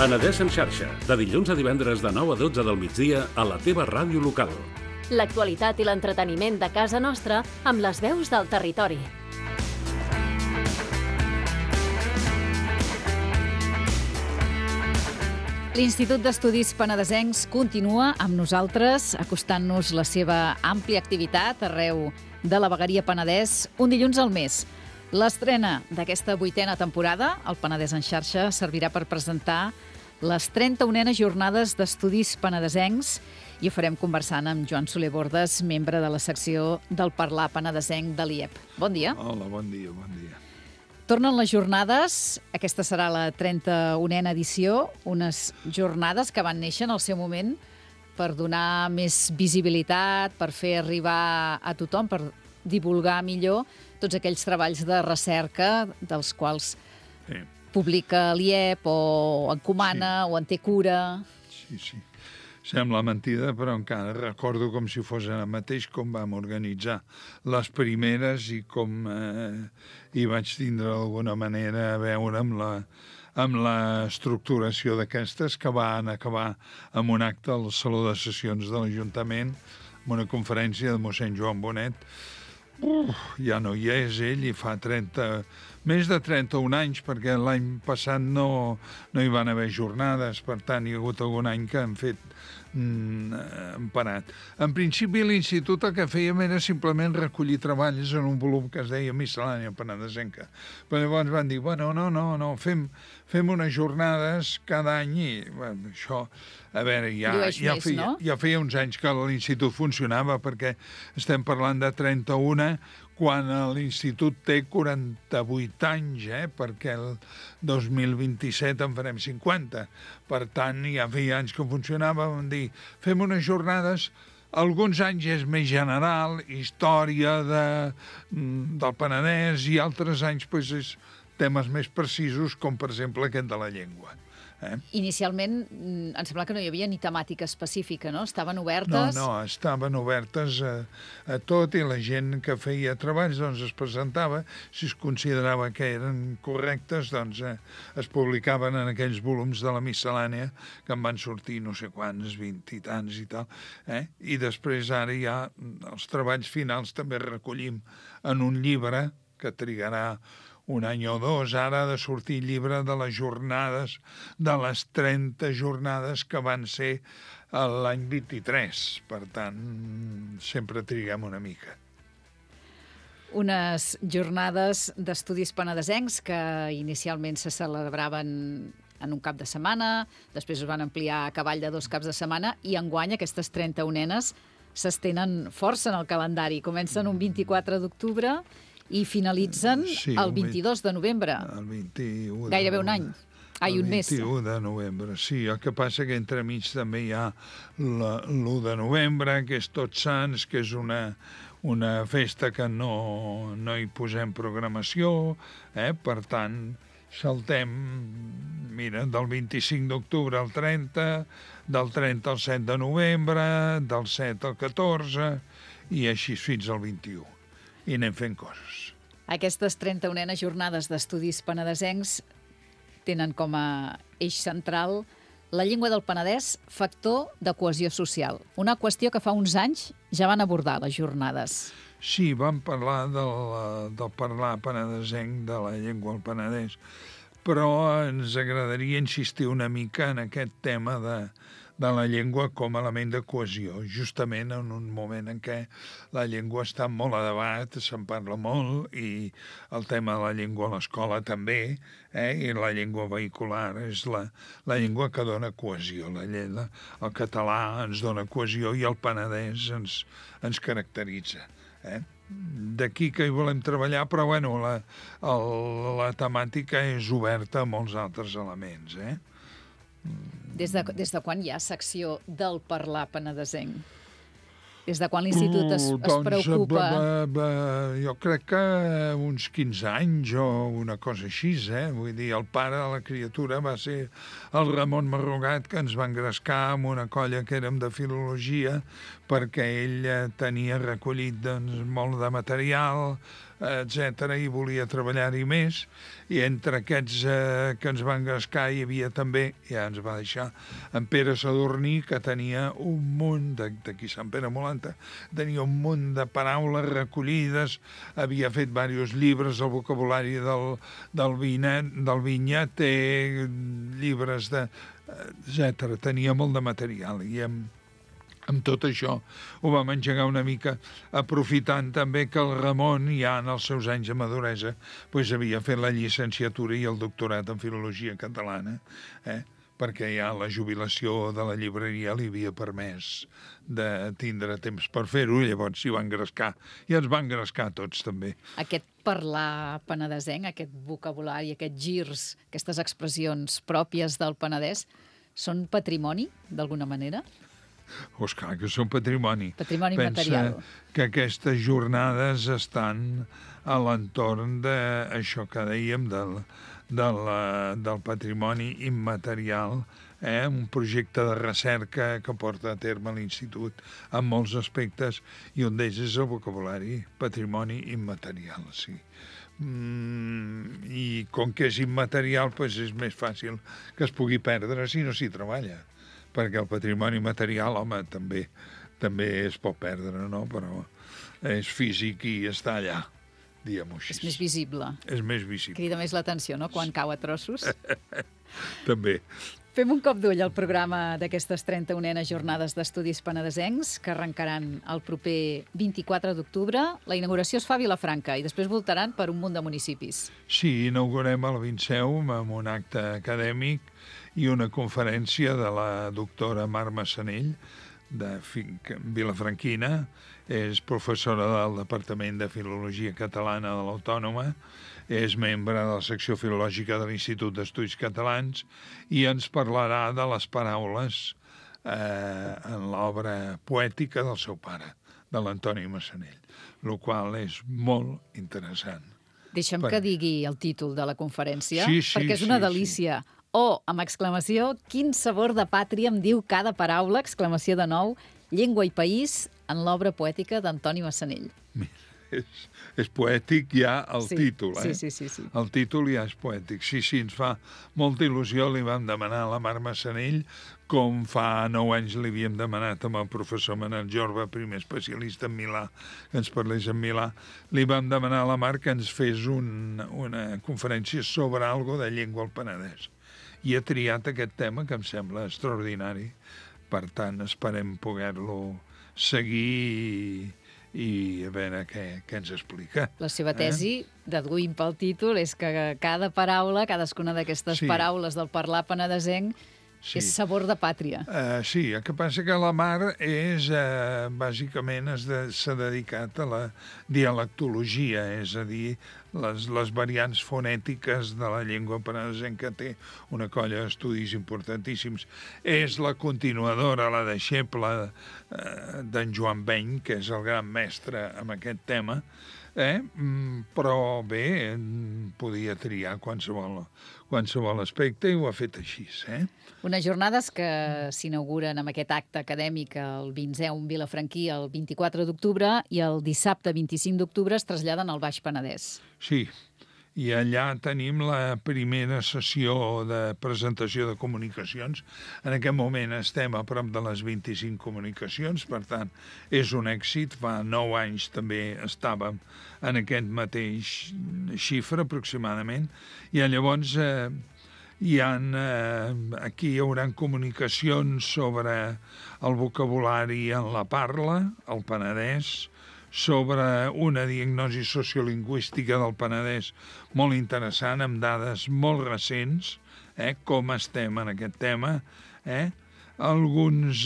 Penedès en xarxa, de dilluns a divendres de 9 a 12 del migdia a la teva ràdio local. L'actualitat i l'entreteniment de casa nostra amb les veus del territori. L'Institut d'Estudis Penedesencs continua amb nosaltres, acostant-nos la seva àmplia activitat arreu de la vegueria Penedès, un dilluns al mes. L'estrena d'aquesta 8a temporada, el Penedès en xarxa, servirà per presentar les 31enes jornades d'estudis penedesencs i ho farem conversant amb Joan Soler Bordes, membre de la secció del Parlar Penedesenc de l'IEP. Bon dia. Hola, bon dia, bon dia. Tornen les jornades, aquesta serà la 31a edició, unes jornades que van néixer en el seu moment per donar més visibilitat, per fer arribar a tothom, per divulgar millor tots aquells treballs de recerca dels quals publica l'IEP o encomana o en té cura. Sí. Sembla mentida, però encara recordo com si fos el mateix com vam organitzar les primeres i com hi vaig tindre d'alguna manera a veure amb l'estructuració d'aquestes, que van acabar amb un acte al Saló de Sessions de l'Ajuntament, amb una conferència de mossèn Joan Bonet. Ja no hi és ell i fa més de 31 anys, perquè l'any passat no hi van haver jornades, per tant hi ha hagut algun any que han fet emparat. En principi l'institut el que fèiem era simplement recollir treballs en un volum que es deia Miscel·lània Penedesenca. Però llavors van dir, no, fem unes jornades cada any i això, a veure, ja feia uns anys que l'institut funcionava, perquè estem parlant de 31 quan l'institut té 48 anys, perquè el 2027 en farem 50. Per tant, ja feia anys que funcionava, vam dir, fem unes jornades, alguns anys és més general, història del Penedès, i altres anys és temes més precisos, com per exemple aquest de la llengua. Inicialment, em sembla que no hi havia ni temàtica específica, no? Estaven obertes? No, estaven obertes a tot, i la gent que feia treballs doncs es presentava. Si es considerava que eren correctes, doncs es publicaven en aquells volums de la miscel·lània, que en van sortir no sé quants, 20 i tants i tal. I després ara ja els treballs finals també recollim en un llibre que trigarà un any o dos. Ara ha de sortir el llibre de les jornades, de les 30 jornades que van ser l'any 23. Per tant, sempre triguem una mica. Unes jornades d'estudis penedesencs que inicialment se celebraven en un cap de setmana, després es van ampliar a cavall de 2 caps de setmana, i enguany aquestes 31enes s'estenen força en el calendari. Comencen un 24 d'octubre i finalitzen el 22 de novembre. El 21 gairebé un any. Un mes. El 21 de novembre, sí. El que passa que entremig també hi ha l'1 de novembre, que és Tots Sants, que és una festa que no hi posem programació, per tant, saltem, mira, del 25 d'octubre al 30, del 30 al 7 de novembre, del 7 al 14, i així fins al 21. I anem fent coses. Aquestes 31enes jornades d'estudis penedesencs tenen com a eix central la llengua del Penedès, factor de cohesió social. Una qüestió que fa uns anys ja van abordar les jornades. Sí, vam parlar del parlar penedesenc, de la llengua al Penedès, però ens agradaria insistir una mica en aquest tema de la llengua com a element de cohesió, justament en un moment en què la llengua està molt a debat, se'n parla molt, i el tema de la llengua a l'escola també, i la llengua vehicular és la llengua que dona cohesió. El català ens dona cohesió i el penedès ens caracteritza. D'aquí que hi volem treballar, però bueno, la temàtica és oberta a molts altres elements. Des de quan hi ha secció del parlar penedesenc? Des de quan l'Institut es preocupa? Jo crec que uns 15 anys o una cosa així, Vull dir, el pare de la criatura va ser el Ramon Marrugat, que ens va engrescar amb una colla que érem de filologia perquè ell tenia recollit doncs, molt de material, etc i volia treballar-hi més, i entre aquests que ens van engrescar hi havia també, ja ens va deixar, en Pere Sadurní, que tenia un munt, d'aquí Sant Pere Molanta, tenia un munt de paraules recollides, havia fet diversos llibres, el vocabulari del Vinya té llibres etc. Tenia molt de material, i amb tot això ho vam engegar una mica, aprofitant també que el Ramon, ja en els seus anys de maduresa, doncs havia fet la llicenciatura i el doctorat en filologia catalana, perquè ja la jubilació de la llibreria li havia permès de tindre temps per fer-ho, llavors s'hi va engrescar, i ens va engrescar tots també. Aquest parlar penedesenc, aquest vocabulari, aquests girs, aquestes expressions pròpies del Penedès, són patrimoni, d'alguna manera? Doncs clar que són patrimoni. Patrimoni material. Pensa que aquestes jornades estan a l'entorn d'això que dèiem del patrimoni immaterial, un projecte de recerca que porta a terme l'Institut en molts aspectes, i un d'ells és el vocabulari, patrimoni immaterial, sí. I com que és immaterial, doncs és més fàcil que es pugui perdre si no s'hi treballa, perquè el patrimoni material, home, també es pot perdre, no? Però és físic i està allà, diguem-ho així. És més visible. És més visible. Crida més l'atenció, no?, quan cau a trossos. També. Fem un cop d'ull al programa d'aquestes 31enes jornades d'estudis penedesencs, que arrencaran el proper 24 d'octubre. La inauguració es fa a Vilafranca i després voltaran per un munt de municipis. Sí, inaugurem el Vinceu amb un acte acadèmic i una conferència de la doctora Mar Massanell, de vilafranquina, és professora del Departament de Filologia Catalana de l'Autònoma, és membre de la secció filològica de l'Institut d'Estudis Catalans i ens parlarà de les paraules en l'obra poètica del seu pare, de l'Antoni Massanell, el qual és molt interessant. Deixa'm que digui el títol de la conferència, Sí, perquè és una delícia. Sí. O, amb exclamació, quin sabor de pàtria em diu cada paraula, exclamació de nou, llengua i país, en l'obra poètica d'Antoni Massanell. És poètic ja el títol, Sí. El títol ja és poètic. Sí, ens fa molta il·lusió. Li vam demanar a la Mar Massanell, com fa 9 anys li havíem demanat amb el professor Manel Jorba, primer especialista en Milà, que ens parlés en Milà. Li vam demanar a la Mar que ens fes una conferència sobre algo de llengua al Penedès. I ha triat aquest tema, que em sembla extraordinari. Per tant, esperem poder-lo seguir i a veure què ens explica. La seva tesi, deduïm pel títol, és que cada paraula, cadascuna d'aquestes paraules del parlar penedesenc, és sabor de pàtria. Sí, el que passa que la Mar bàsicament s'ha dedicat a la dialectologia, és a dir, les variants fonètiques de la llengua penedesenca. Té una colla d'estudis importantíssims. És la continuadora, la deixeble d'en Joan Beny, que és el gran mestre en aquest tema, però bé, podia triar qualsevol aspecte i ho ha fet així. Unes jornades que s'inauguren amb aquest acte acadèmic el Vinceum vilafranquí el 24 d'octubre i el dissabte 25 d'octubre es traslladen al Baix Penedès. Sí, i allà tenim la primera sessió de presentació de comunicacions. En aquest moment estem a prop de les 25 comunicacions, per tant, és un èxit. Fa 9 anys també estàvem en aquest mateix xifra, aproximadament, i llavors aquí hi haurà comunicacions sobre el vocabulari en la parla, el Penedès, sobre una diagnosi sociolingüística del Penedès molt interessant, amb dades molt recents, com estem en aquest tema, alguns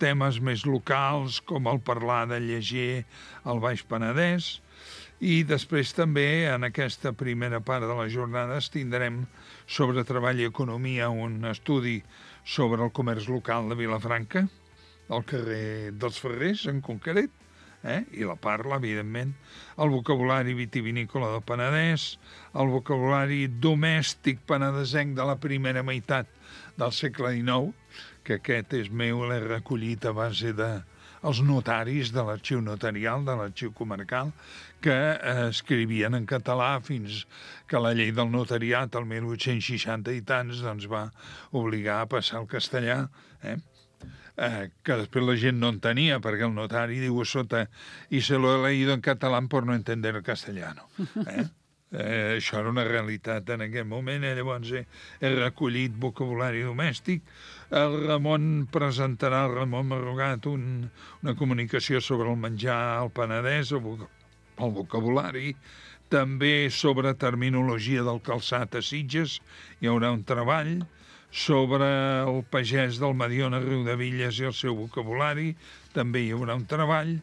temes més locals, com el parlar de lleger al Baix Penedès, i després també, en aquesta primera part de les jornades, tindrem sobre treball i economia un estudi sobre el comerç local de Vilafranca, al carrer dels Ferrers, en concret, i la parla, evidentment, el vocabulari vitivinícola del Penedès, el vocabulari domèstic penedesenc de la primera meitat del segle XIX, que aquest és meu, l'he recollit a base els notaris de l'arxiu notarial, de l'arxiu comarcal, que escrivien en català fins que la llei del notariat, el 1860 i tants, doncs va obligar a passar al castellà, que després la gent no entenia, perquè el notari diu a sota «y se lo he leído en catalán por no entender el castellano». Això era una realitat en aquell moment, llavors he recollit vocabulari domèstic. El Ramon presentarà, el Ramon Marrugat, una comunicació sobre el menjar al Penedès, el vocabulari, també sobre terminologia del calçat a Sitges, hi haurà un treball, sobre el pagès del Mediona Riudevilles i el seu vocabulari, també hi haurà un treball,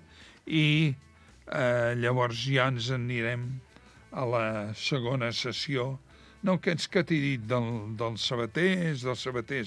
i llavors ja ens anirem a la segona sessió. No, aquests que t'he dit dels sabaters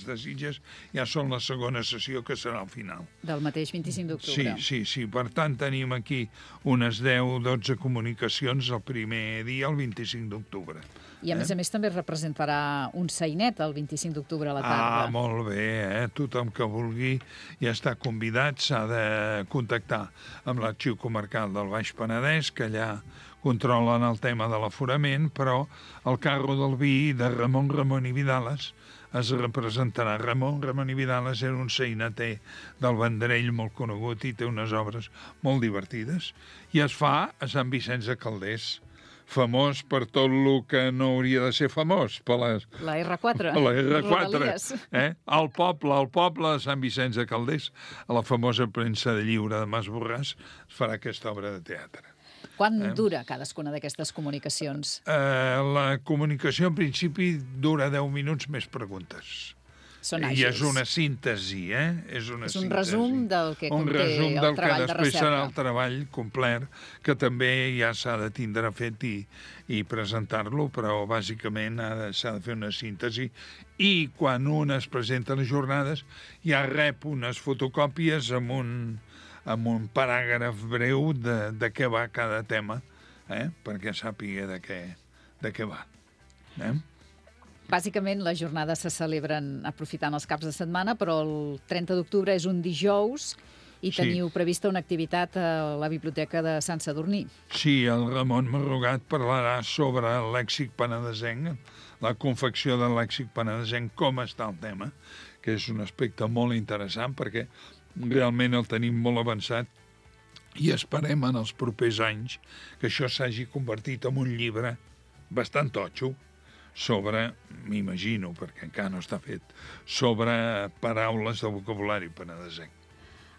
de Sitges, ja són la segona sessió, que serà al final. Del mateix 25 d'octubre. Sí. Per tant, tenim aquí unes 10-12 comunicacions el primer dia, el 25 d'octubre. I a més també representarà un sainet el 25 d'octubre a la tarda. Molt bé, tothom que vulgui ja està convidat, s'ha de contactar amb l'Arxiu Comarcal del Baix Penedès, que allà controlen el tema de l'aforament, però el carro del vi de Ramon i Vidales es representarà. Ramon i Vidales era un saineter del Vendrell molt conegut i té unes obres molt divertides. I es fa a Sant Vicenç de Calders, famós per tot el que no hauria de ser famós. La R4. La R4. Al poble de Sant Vicenç de Calders, a la famosa premsa de lliure de Mas Borràs, es farà aquesta obra de teatre. Quant dura cadascuna d'aquestes comunicacions? La comunicació, en principi, dura 10 minuts més preguntes. Són àgils. I és una síntesi, És un resum del que conté el treball de recerca. Un resum del que després serà el treball complet, que també ja s'ha de tindre fet i presentar-lo, però bàsicament s'ha de fer una síntesi. I quan un es presenta a les jornades, ja rep unes fotocòpies amb un paràgraf breu de què va cada tema, perquè sàpiga de què va. Bàsicament, les jornades se celebren aprofitant els caps de setmana, però el 30 d'octubre és un dijous i teniu prevista una activitat a la Biblioteca de Sant Sadurní. Sí, el Ramon Marrugat parlarà sobre el lèxic penedesenc, la confecció del lèxic penedesenc, com està el tema, que és un aspecte molt interessant, perquè realment el tenim molt avançat i esperem en els propers anys que això s'hagi convertit en un llibre bastant totxo sobre, m'imagino, perquè encara no està fet, sobre paraules de vocabulari penedesenc.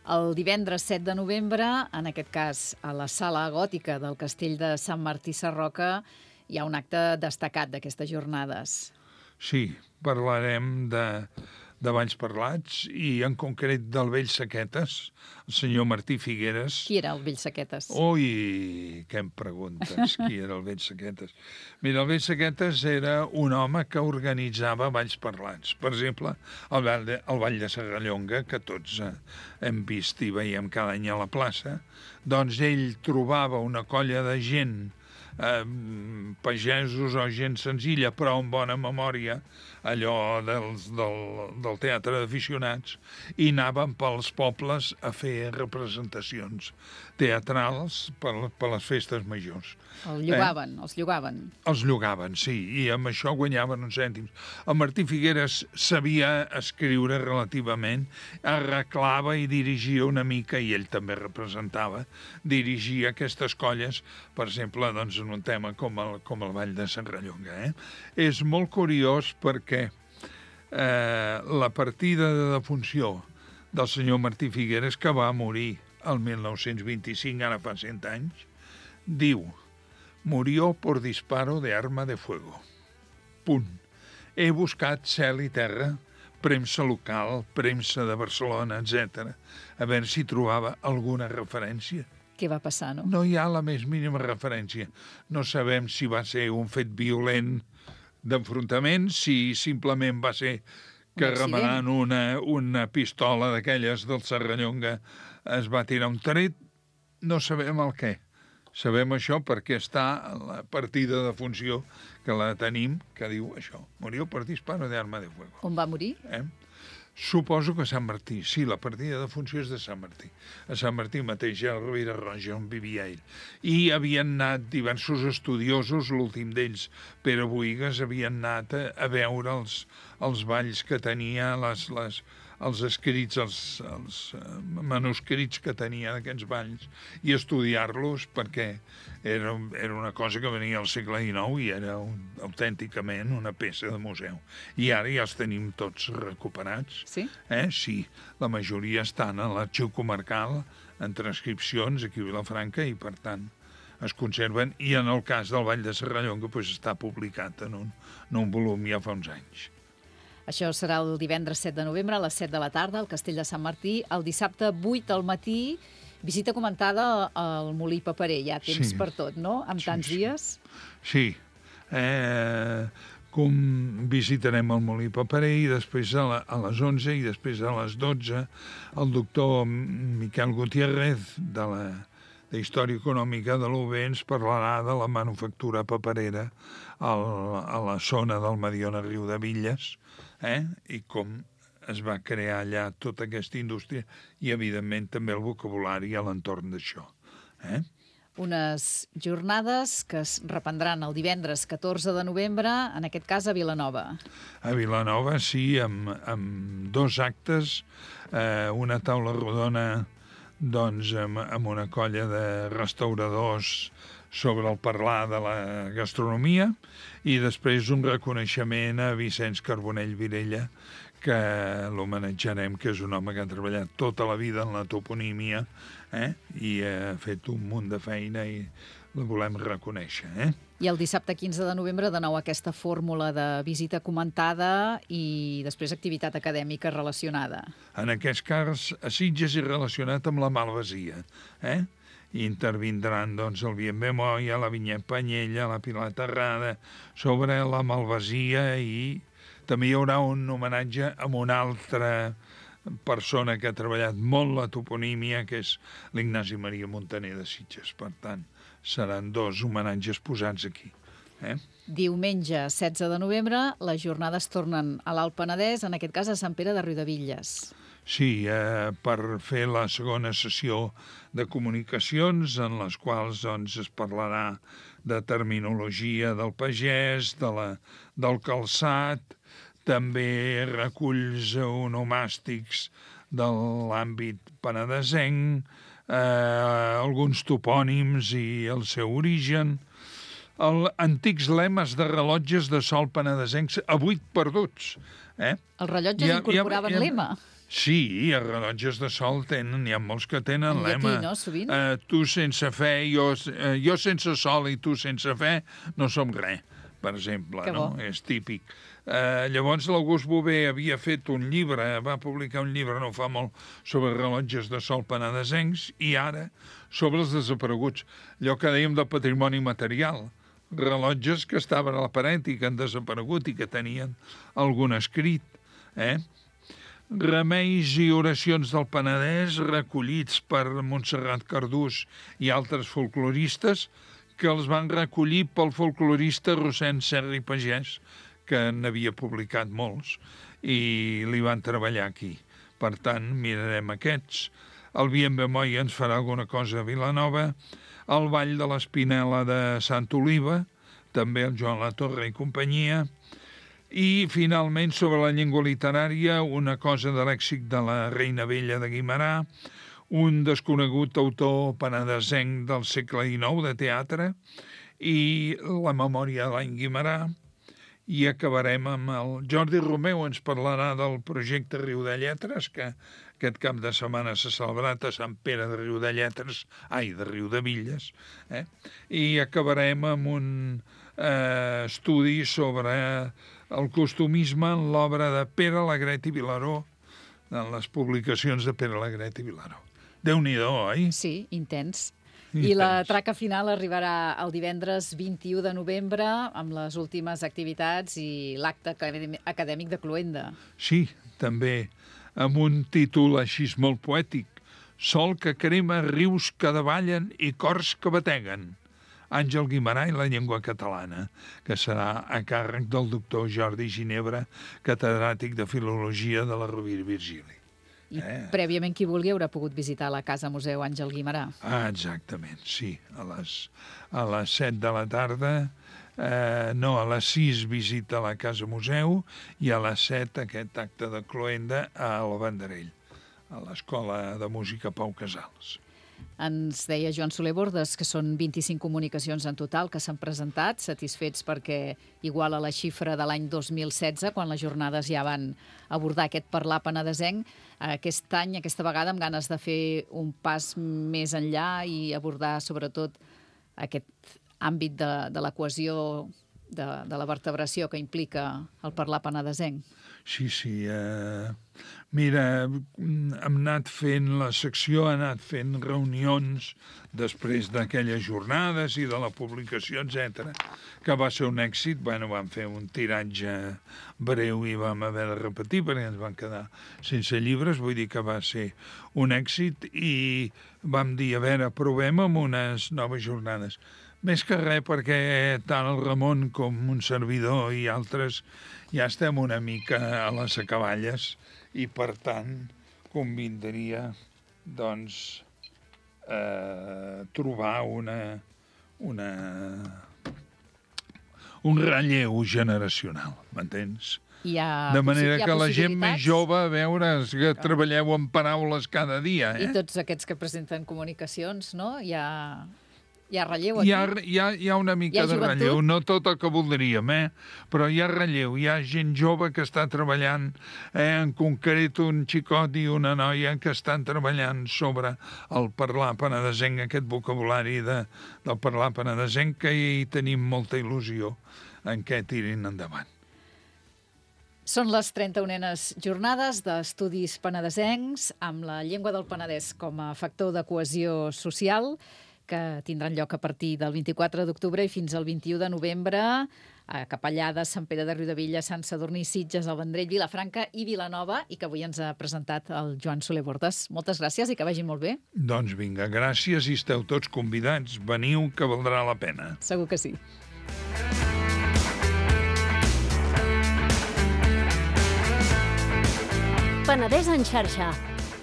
El divendres 7 de novembre, en aquest cas a la Sala Gòtica del Castell de Sant Martí Sarroca, hi ha un acte destacat d'aquestes jornades. Sí, parlarem de Valls Parlats i en concret del vell Saquetes, el senyor Martí Figueres. Qui era el vell Saquetes? Ui, què em preguntes, qui era el vell Saquetes? Mira, el vell Saquetes era un home que organitzava Valls Parlats. Per exemple, el Ball de Serrallonga, que tots hem vist i veiem cada any a la plaça, doncs ell trobava una colla de gent, pagesos o gent senzilla, però amb bona memòria, allò del teatre d'aficionats, i anaven pels pobles a fer representacions teatrals per les festes majors. Els llogaven. Els llogaven, sí, i amb això guanyaven uns cèntims. El Martí Figueres sabia escriure relativament, arreglava i dirigia una mica, i ell també representava, dirigia aquestes colles, per exemple, doncs, en un tema com el Ball de Serrallonga. És molt curiós perquè la partida de defunció del senyor Martí Figueres, que va morir el 1925, ara fa 100 anys, diu: «Murió por disparo de arma de fuego. Punt. He buscat cel i terra, premsa local, premsa de Barcelona, etc., a veure si trobava alguna referència. Què va passar, no? No hi ha la més mínima referència. No sabem si va ser un fet violent d'enfrontament, si simplement va ser que remenant una pistola d'aquelles del Serrallonga es va tirar un tret. No sabem el què. Sabem això perquè està la partida de funció que la tenim, que diu això: «Murió per disparo de arma de fuego». On va morir? Suposo que a Sant Martí, sí, la partida de funció és de Sant Martí. A Sant Martí mateix, a Ribera Roja, on vivia ell. I havien anat diversos estudiosos, l'últim d'ells, Pere Boïgues, havien anat a veure els balls que tenia, els escrits, els manuscrits que tenia d'aquests balls, i estudiar-los perquè era una cosa que venia al segle XIX i era autènticament una peça de museu. I ara ja els tenim tots recuperats. Sí? Sí, la majoria estan a l'arxiu comarcal, en transcripcions aquí a Vilafranca, i per tant es conserven, i en el cas del Ball de Serrallonga doncs, està publicat en un volum ja fa uns anys. Això serà el divendres 7 de novembre a les 7 de la tarda al Castell de Sant Martí. El dissabte 8 al matí, visita comentada al Molí Paperer. Hi ha temps per tot, no?, amb tants dies. Sí. Visitarem el Molí Paperer i després a les 11 i després a les 12 el doctor Miquel Gutiérrez de Història Econòmica de l'UB ens parlarà de la manufactura paperera a la zona del Mediona Riu de Villes, i com es va crear allà tota aquesta indústria i, evidentment, també el vocabulari a l'entorn d'això. Unes jornades que es reprendran el divendres 14 de novembre, en aquest cas a Vilanova. A Vilanova, sí, amb 2 actes, una taula rodona doncs, amb una colla de restauradors sobre el parlar de la gastronomia, i després un reconeixement a Vicenç Carbonell Virella, que l'homenatjarem, que és un home que ha treballat tota la vida en la toponímia, i ha fet un munt de feina i la volem reconèixer. I el dissabte 15 de novembre, de nou aquesta fórmula de visita comentada i després activitat acadèmica relacionada. En aquest cas, a Sitges i relacionat amb la malvasia. I intervindran doncs, el Bien Moya, la Vinyet Panyella, la Pilar Terrada, sobre la malvasia, i també hi haurà un homenatge a una altra persona que ha treballat molt la toponímia, que és l'Ignasi Maria Montaner de Sitges. Per tant, seran 2 homenatges posats aquí. Diumenge 16 de novembre, les jornades tornen a l'Alt Penedès, en aquest cas a Sant Pere de Riudebitlles. Sí, per fer la segona sessió de comunicacions, en les quals doncs, es parlarà de terminologia del pagès, del calçat, també reculls onomàstics de l'àmbit penedesenc, alguns topònims i el seu origen, antics lemes de rellotges de sol penedesencs avui perduts. Els rellotges incorporaven lema? Sí, els rellotges de sol n'hi ha molts que tenen lema. En llatí, no, sovint? Tu sense fe, jo sense sol i tu sense fe, no som res, per exemple. No? És típic. Llavors l'August Bové havia fet un llibre, va publicar un llibre no fa molt, sobre rellotges de sol penedesencs, i ara sobre els desapareguts. Allò que dèiem del patrimoni material. Rellotges que estaven a la paret i que han desaparegut i que tenien algun escrit. Remeis i oracions del Penedès recollits per Montserrat Cardús i altres folcloristes, que els van recollir pel folclorista Rossend Serra i Pagès, que n'havia publicat molts, i li van treballar aquí. Per tant, mirarem aquests. El Bien Moya ens farà alguna cosa a Vilanova, el Ball de l'Espinela de Sant Oliva, també el Joan Latorre i companyia, i, finalment, sobre la llengua literària, una cosa de lèxic de la Reina Vella de Guimerà, un desconegut autor penedesenc del segle XIX de teatre, i la memòria de l'any Guimerà, i acabarem amb el Jordi Romeu, ens parlarà del projecte Riu de Lletres, que aquest cap de setmana s'ha celebrat a Sant Pere de Riudebitlles, de Riudebitlles, i acabarem amb un estudi sobre el costumisme en l'obra de Pere Alegret i Vilaró, en les publicacions de Pere Alegret i Vilaró. Déu-n'hi-do, oi? Sí, intens. I la traca final arribarà el divendres 21 de novembre amb les últimes activitats i l'acte acadèmic de Cloenda. Sí, també, amb un títol així molt poètic. Sol que crema, rius que davallen i cors que bateguen. Àngel Guimarà i la llengua catalana, que serà a càrrec del doctor Jordi Ginebra, catedràtic de Filologia de la Rovira i Virgili. I prèviament qui vulgui haurà pogut visitar la Casa Museu Àngel Guimarà. Exactament, sí. A les 7 de la tarda, a les 6 visita a la Casa Museu i a les 7 aquest acte de cloenda al Vendrell, a l'Escola de Música Pau Casals. Ens deia Joan Soler Bordes que són 25 comunicacions en total que s'han presentat, satisfets perquè iguala la xifra de l'any 2016, quan les jornades ja van abordar aquest parlar penedesenc. Aquest any, aquesta vegada, amb ganes de fer un pas més enllà i abordar sobretot aquest àmbit de la cohesió, de la vertebració que implica el parlar penedesenc. Sí. Mira, hem anat fent la secció, ha anat fent reunions després d'aquelles jornades i de la publicació, etc., que va ser un èxit. Vam fer un tiratge breu i vam haver de repetir perquè ens van quedar sense llibres, vull dir que va ser un èxit i vam dir, a veure, provem amb unes noves jornades. Més que res perquè tant el Ramon com un servidor i altres ja estem una mica a les acaballes i, per tant, convindria, doncs, trobar un relleu generacional, m'entens? De manera que la gent més jove, a veure, que treballeu amb paraules cada dia. I tots aquests que presenten comunicacions, no? Hi ha relleu aquí? Hi ha una mica de relleu, no tot el que voldríem, però hi ha relleu, hi ha gent jove que està treballant, en concret un xicot i una noia que estan treballant sobre el parlar penedesenc, aquest vocabulari del parlar penedesenc, que hi tenim molta il·lusió en què tirin endavant. Són les 31enes jornades d'estudis penedesencs amb la llengua del Penedès com a factor de cohesió social, que tindran lloc a partir del 24 d'octubre i fins al 21 de novembre a Capellades, Sant Pere de Riudebitlles, Sant Sadurní, Sitges, el Vendrell, Vilafranca i Vilanova, i que avui ens ha presentat el Joan Soler Bordes. Moltes gràcies i que vagin molt bé. Doncs vinga, gràcies i esteu tots convidats. Veniu, que valdrà la pena. Segur que sí. Penedès en xarxa,